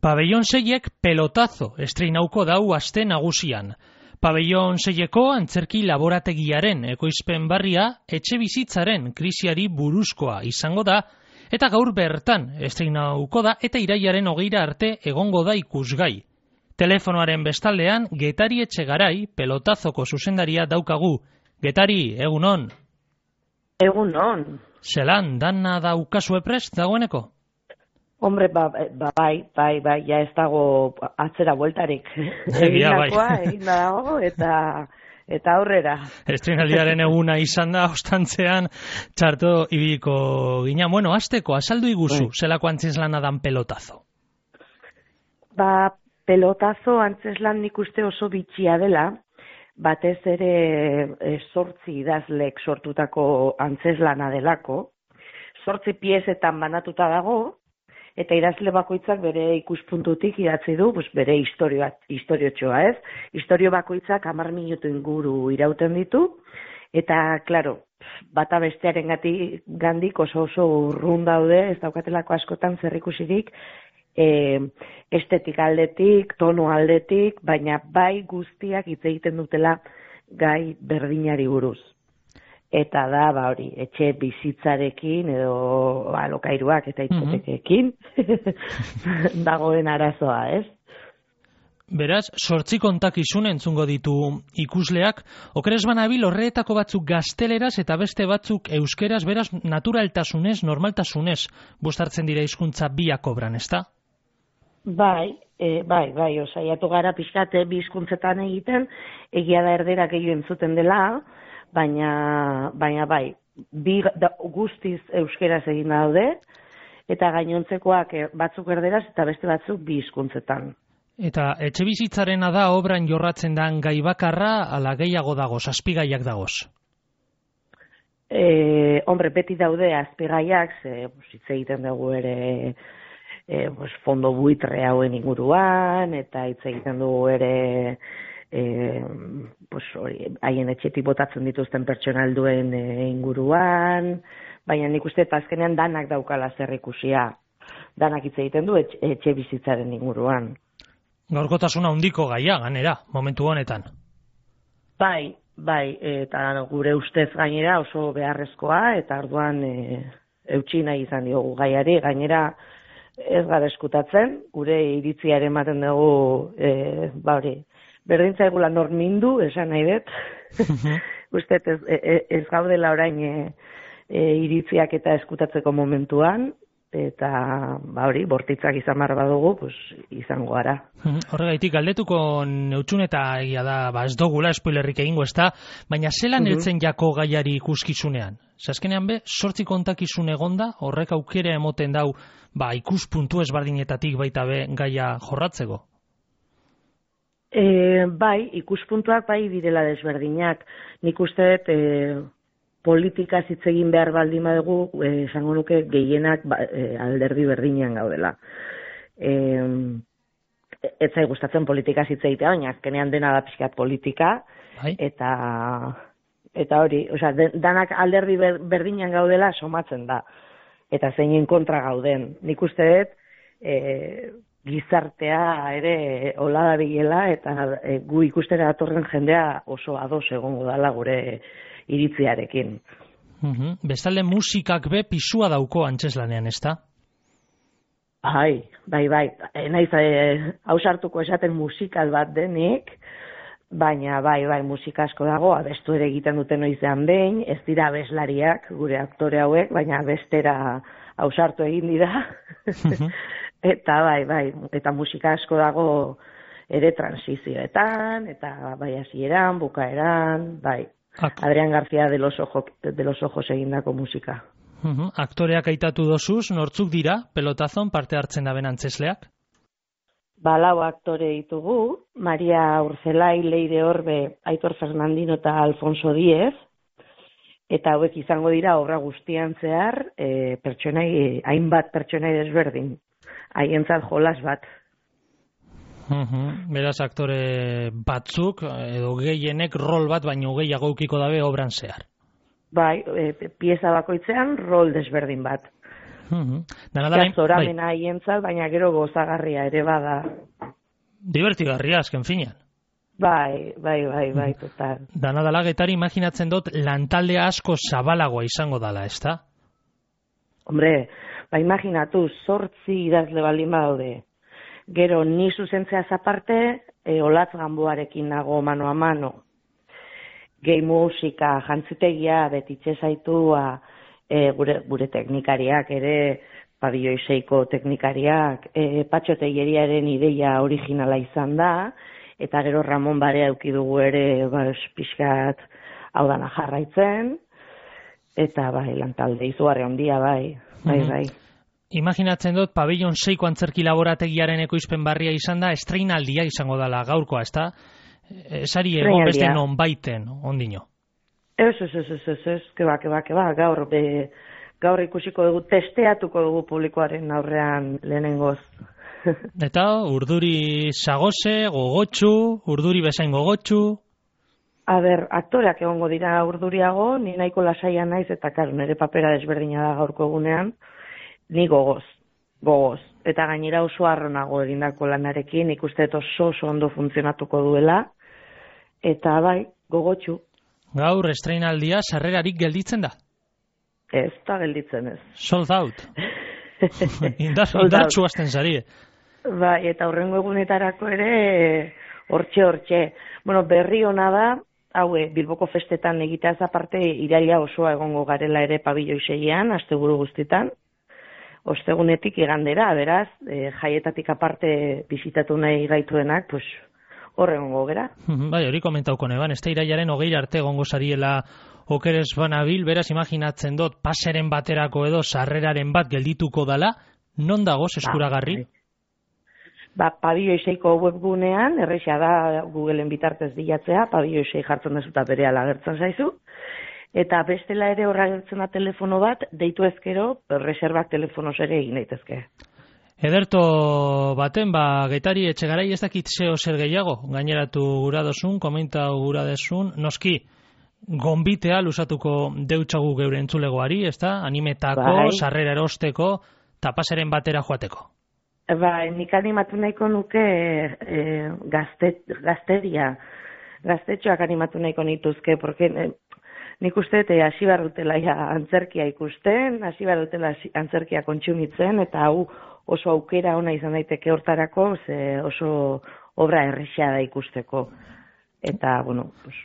Pabellon 6ek pelotazo estreinauko dau aste nagusian. Pabellon 6eko antzerki laborategiaren ekoizpen barria etxe bizitzaren krisiari buruzkoa izango da, eta gaur bertan estreinauko da eta irailaren 20 arte egongo da ikusgai. Telefonoaren bestaldean Getari Etxegarai pelotazoko zuzendaria daukagu. Getari, egunon. Egunon. Zelan, dana daukazue prest dagoeneko? Hombre, bai, ja ez dago atzera bueltarik. Egin dago eta aurrera. Estreinaldiaren eguna izan da, ostantzean txarto ibiliko gina. Bueno, hasteko, azaldu iguzu, zelako antzeslana dan pelotazo? Pelotazo antzeslan nik uste oso bitxia dela, batez ere 8 idazlek sortutako antzeslana delako, 8 piezetan banatuta dago, eta idazle bakoitzak bere ikuspuntutik idatzi du, bere historiotxoa, ez? Historio bakoitzak 10 minutu inguru irauten ditu, eta, klaro, bata bestearen gandik oso urrun daude, ez daukatelako askotan zerrikusirik, estetika aldetik, tono aldetik, baina bai guztiak hitz egiten dutela gai berdinari buruz. Eta da, hori, etxe bizitzarekin edo alokairuak eta hipotekekin dagoen arazoa, ez? Beraz, 8 kontakizun entzungo ditu ikusleak, okeres banabil horretako batzuk gazteleraz eta beste batzuk euskeraz, beraz, naturaltasunez, normaltasunez, bustartzen dira hizkuntza biak obran, ezta? Bai, osaiatu gara pixkate bi hizkuntzetan egiten, egia da erdera gehiago entzuten dela, baina bai, guztiz euskeraz egin daude, eta gainontzekoak batzuk erderaz eta beste batzuk bi hizkuntzetan. Eta etxe bizitzarena da obran jorratzen dan gai bakarra, ala gehiago dagoz, azpigaiak dagoz? Hombre, beti daude azpigaiak, hitz egiten dugu ere fondo buitre hauen inguruan, eta hitz egiten dugu ere haien etxetik botatzen dituzten pertsonalduen inguruan, baina nik uste azkenean danak daukala zer ikusia, danak hitz egiten du etxe bizitzaren inguruan. Gaurkotasuna handiko gaia, ganera, momentu honetan. Bai, eta gure ustez gainera oso beharrezkoa, eta orduan eutsi nahi izan diogu gaiari, gainera ez gara eskutatzen, gure iritziaren ematen dugu, berdintza egula normindu, esan nahi dut, uste ez gaudela orain iritziak eta eskutatzeko momentuan, eta bortitzak izan behar badugu, izango gara. Horregaitik, galdetuko neutxun eta egia da, ez dugula spoilerrik egingo ez da, baina zelan heltzen jako gaiari ikuskizunean? Azkenean 8 kontakizun egonda, horrek aukera emoten dau, ikuspuntu ezberdinetatik baita gaia jorratzeko? Bai, ikuspuntuak bai direla desberdinak. Nik uste dut politikaz hitz egin behar baldin badugu, esango nuke gehienak alderdi berdinean gaudela. Ez zai gustatzen politikaz hitz egitea, baina azkenean dena da pixkat politika, eta hori, danak alderdi berdinean gaudela somatzen da, eta zeinen kontra gauden. Nik uste dut, gizartea ere hola da bilela, eta gu ikustera datorren jendea oso ados egongo dela gure iritziarekin. Bestalde musikak pisua dauko antzeslanean, ezta? Bai. Naiz ausartuko esaten musikal bat denik, baina bai, musika asko dago, abestu ere egiten duten noizean behin, ez dira abeslariak, gure aktore hauek, baina abestera ausartu egin dira. Eta bai, eta musika asko dago ere transizioetan, eta bai hasieran, bukaeran, bai. Adrián García de los Ojos egindako musika. Aktoreak aitatu dozuz, nortzuk dira, pelotazon parte hartzen daben antzesleak? 4 aktore ditugu, Maria Urzelai, Leire Orbe, Aitor Fernandino eta Alfonso Díez, eta hauek izango dira obra guztian zehar, hainbat pertsonai desberdin, haientzat jolas bat. Beraz, aktore batzuk, edo gehienek rol bat, baino gehiago ukiko dabe obran zehar. Bai, pieza bakoitzean rol desberdin bat. Zoramena haientzat, baina gero gozagarria ere bada. Divertigarria, azken finean. Bai, total. Dana dela Getari imaginatzen dut lantaldea asko zabalagoa izango dala, ezta? Hombre, imaginatu, 8 idazle baldin badaude. Gero ni zuzentzeaz aparte, Olatz Ganboarekin nago mano a mano. Gehi musika, jantzitegia, betitxe zaitua, gure teknikariak ere, Pabelloi 6ko teknikariak, Patxo Telleriaren ideia originala izan da, eta gero Ramon Barea eduki dugu ere pixkat hau dana jarraitzen, eta lantalde izugarri handia, bai. Imaginatzen dut, Pabellon 6ko antzerki laborategiaren ekoizpen barria izan da, estreinaldia izango dela gaurkoa, ezta? Esari egon beste non baiten, ondino. Ez, keba, gaur ikusiko dugu, testeatuko dugu publikoaren aurrean lehenengoz. Eta urduri sagose, gogotxu, urduri bezain gogotxu? Aktoreak egongo dira urduriago, ni nahiko lasaia naiz, eta nire papera desberdina da gaurko egunean, ni gogoz. Eta gainera oso arronago egindako lanarekin, ikuste oso ondo funtzionatuko duela, eta gogotxu. Gaur estreinaldia sarrerarik gelditzen da? Ez da gelditzen ez. Sold out. Indartxu hasten zari. Eta hurrengo egunetarako ere hortxe. Bueno, berri ona da, Bilboko festetan egiteaz aparte iraila osoa egongo garela ere Pabelloi 6ean, asteburu guztitan. Ostegunetik igandera, beraz, jaietatik aparte bisitatu nahi gaituenak, hor egongo gera. Hori komentauko neban, ez da irailaren 20 arte egongo zariela okeres banabil, beraz imaginatzen dut paseren baterako edo sarreraren bat geldituko dala, non dagoz eskuragarri? Pabelloi 6ko webgunean, erresa da Googleen bitartez bilatzea, Pabelloi 6 jartzen dezuta berehala agertzen zaizu, eta bestela ere horra agertzen da telefono bat, deitu ezkero, reserbak telefonoz ere egin daitezke. Ederto baten, Getari Etxegarai ez dakit zeo zer gehiago, gaineratu gura dozun, komentau gura dozun, noski, gonbitea lusatuko deutsagu geure entzulegoari, ez da? Animetako, sarrera erosteko, tapaseren batera joateko. Nik animatu nahiko nuke gaztetxoak animatu nahiko nituzke, porque nik uste hasi behar dutela antzerkia ikusten, hasi behar dutela antzerkia kontsumitzen, eta hau oso aukera ona izan daiteke hortarako, oso obra erresa da ikusteko. Eta,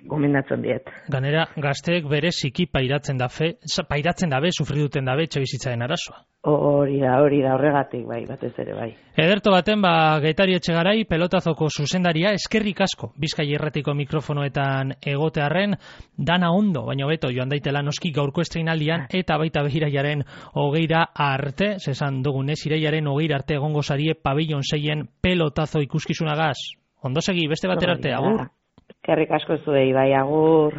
gomendatzen diet. Ganera, gazteek bereziki pairatzen dabe, sufriduten dabe, etxebizitzaren arazoa. Hori da, horregatik, batez ere, bai. Ederto baten, Getari Etxegarai, pelotazoko zuzendaria, eskerrik asko, Bizkai Irratiko mikrofonoetan egotearren, dana ondo, baina beto, joan daitela noski gaurko estreinaldian, eta baita irailaren 20 arte, zesan dugunez, irailaren 20 arte egongo zarie Pabellon 6en pelotazo ikuskizunagaz. Ondo segi, beste batera arte, agur. Eskerrik asko zuei, bai, agur.